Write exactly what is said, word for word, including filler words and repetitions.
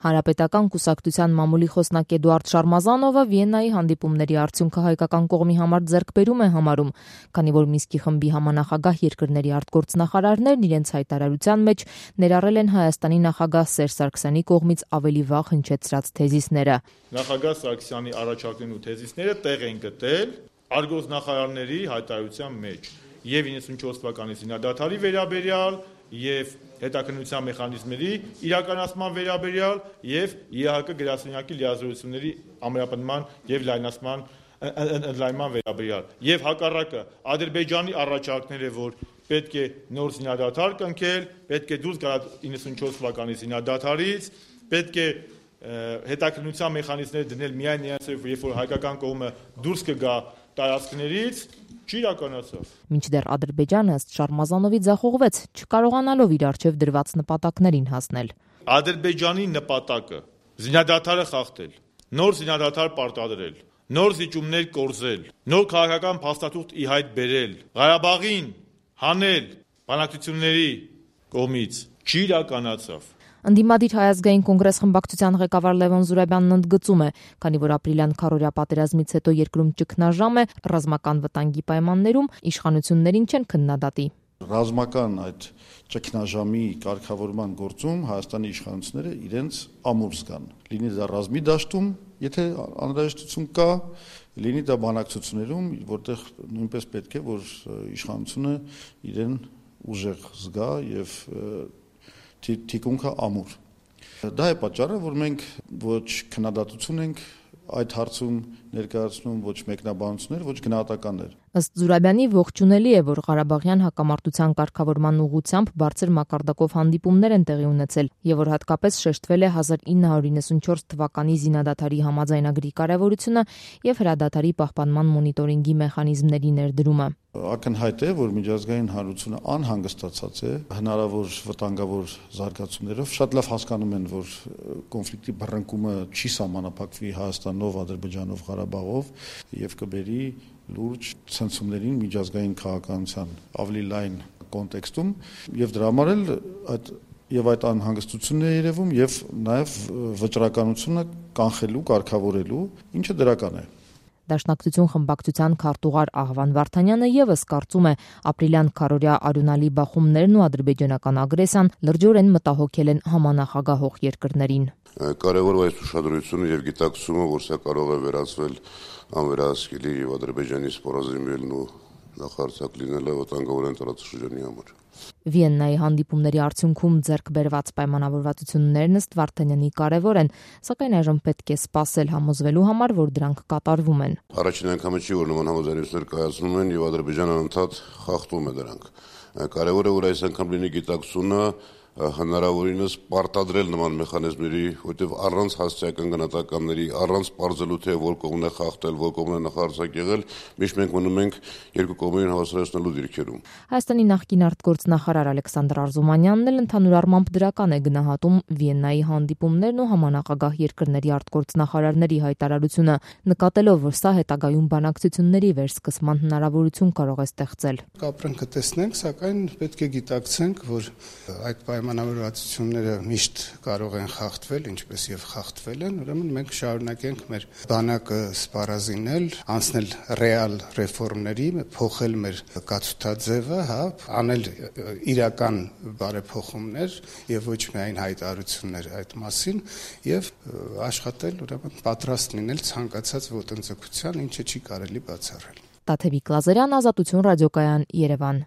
Հանրապետական կուսակցության մամուլի խոսնակ Էդուարդ Շարմազանովը Վիեննայի հանդիպումների արդյունքը հայկական կողմի համար ձեռքբերում է համարում, քանի որ Մինսկի խմբի համանախագահ երկրների արտգործնախարարներն իրենց հայտարարության մեջ ներառել են Հայաստանի նախագահ Սերժ Սարգսյանի կողմից ավելի վաղ հնչեցրած թեզիսները։ Նախագահ Սարգսյանի առաջարկներն ու թեզիսները տեղ են գտել արտգործնախարարների հայտարարության մեջ եւ իննսունչորս թվականի զինադադարի վերաբերյալ եւ հետաքննության մեխանիզմների իրականացման վերաբերյալ եւ ԵԱՀԿ գրասենյակի լիազորությունների ամրապնդման եւ լայնացման ընդլայնման վերաբերյալ եւ հակառակը Ադրբեջանի առաջարկները, որ պետք է նոր զինադադար կնքել, պետք է դուրս գալ իննսունչորս թվականի զինադադարից, պետք է հետաքննության մեխանիզմներ դնել միայն նրանցով, երբ որ հայկական կողմը դուրս կգա տարածքներից, չի իրականացավ։ Մինչդեռ Ադրբեջանը ըստ Շարմազանովի ձախողվեց, չկարողանալով իր առջև դրված նպատակներին հասնել։ Ադրբեջանի նպատակը զինադադարը խախտել, նոր զինադադար պարտադրել, նոր զիջումներ կորզել, նոր քաղաքական փաստաթուղթ ի հայտ բերել, Ղարաբաղին հանել բանակցությունների կողմից, չի իրականացավ։ Ընդդիմադիր Հայ ազգային կոնգրես խմբակցության ղեկավար Լևոն Զուրաբյանն ընդգծում է, քանի որ ապրիլյան քառօրյա պատերազմից հետո երկրում ճգնաժամ է, ռազմական վտանգի պայմաններում իշխանություններին չեն քննադատի։ Ռազմական այդ ճգնաժամի կարգավորման գործում Հայաստանի իշխանությունները իրենց ամուր զգան։ Լինի դա ռազմի դաշտում, եթե անհրաժեշտություն կա, լինի դա բանակցություններում, որտեղ նույնպես պետք է, որ իշխանությունը իրեն ուժեղ զգա եւ թիկունքը ամուր։ Դա է պատճառը, որ մենք ոչ քննադատություն ենք այդ հարցում ներկայացնում, ոչ մեկնաբանություններ, ոչ գնահատականներ։ Ըստ Զուրաբյանի ողջունելի է, որ Ղարաբաղյան հակամարտության կարգավորման ուղղությամբ բարձր մակարդակով հանդիպումներ են տեղի ունեցել եւ որ հատկապես շեշտվել է հազար ինը հարյուր իննսունչորս թվականի զինադադարի համաձայնագրի կարեւորությունը եւ հրադադարի պահպանման մոնիտորինգի մեխանիզմների ներդրումը։ Ակնհայտ է, որ միջազգային հանրությունը անհանգստացած է հնարավոր վտանգավոր զարգացումներով։ Շատ լավ հասկանում են, որ կոնֆլիկտի բռնկումը չի սահմանափակվի Հայաստանով, Ադրբեջանով, Ղարաբաղով եւ կբերի լուրջ ցնցումներին միջազգային քաղաքականության ավելի լայն կոնտեքստում եւ դրա համար էլ այդ եւ այդ անհանգստությունն է երևում եւ նաեւ վճռականությունը կանխելու, կարգավորելու, ինչը դրական է։ Դաշնակցություն խմբակցության քարտուղար Աղվան Վարդանյանը եւս կարծում է, ապրիլյան քառօրյա արյունալի բախումներն ու ադրբեջանական ագրեսիան լրջորեն մտահոգել են համանախագահող երկրներին։ Կարևոր է այս ուշադրությունը եւ գիտակցումը, որ սա կարող է վերածվել անվերահսկելի եւ Ադրբեջանի սպառազինվելն ու նախարարցակ լինելը վտանգավոր տարածաշրջանի համար։ Վիեննայի հանդիպումների արդյունքում ձեռք բերված պայմանավորվածություններն ըստ Վարդանյանի կարևոր են, սակայն այժմ պետք է սպասել համոզվելու համար, որ դրանք կատարվում են։ Առաջին անգամը չի, որ նման համաձայնություններ կայացնում են եւ Ադրբեջանը անդադ խախտում է դրանք։ Կարևոր է, որ այս անգամ լինի գիտակցությունը հնարավորինս պարտադրել նման մեխանիզմների, որտեղ առանց հասցեական գնահատականների, առանց պարզելու թե որ կողմն է խախտել, որ կողմն է նախարարցակ եղել, միշտ մենք մնում ենք երկու կողմերին հավասարացնելու դիրքերում։ Հայաստանի նախկին արտգործնախարար Ալեքսանդր Արզումանյանն էլ ընդհանուր առմամբ դրական է գնահատում Վիեննայի հանդիպումներն ու համանախագահ երկրների արտգործնախարարների հայտարարությունը, նկատելով, որ սա հետագայում բանակցությունների վերսկսման հնարավորություն կարող է ստեղծել։ Կապրանքը տեսնենք, սակայն պետք է գիտակցենք, որ այդ պայմանավորվածությունները միշտ կարող են խախտվել, ինչպես եւ խախտվել են, ուրեմն մենք շարունակենք մեր բանակը սպառազինել, անցնել ռեալ ռեֆորմների, փոխել մեր կացութաձևը, հա, անել իրական բարեփոխումներ եւ ոչ միայն հայտարարություններ այդ մասին եւ աշխատել, ուրեմն պատրաստ լինել ցանկացած ոտնձգության, ինչը չի կարելի բացառել։ Տաթևիկ Լազարյան, Ազատություն ռադիոկայան, Երևան։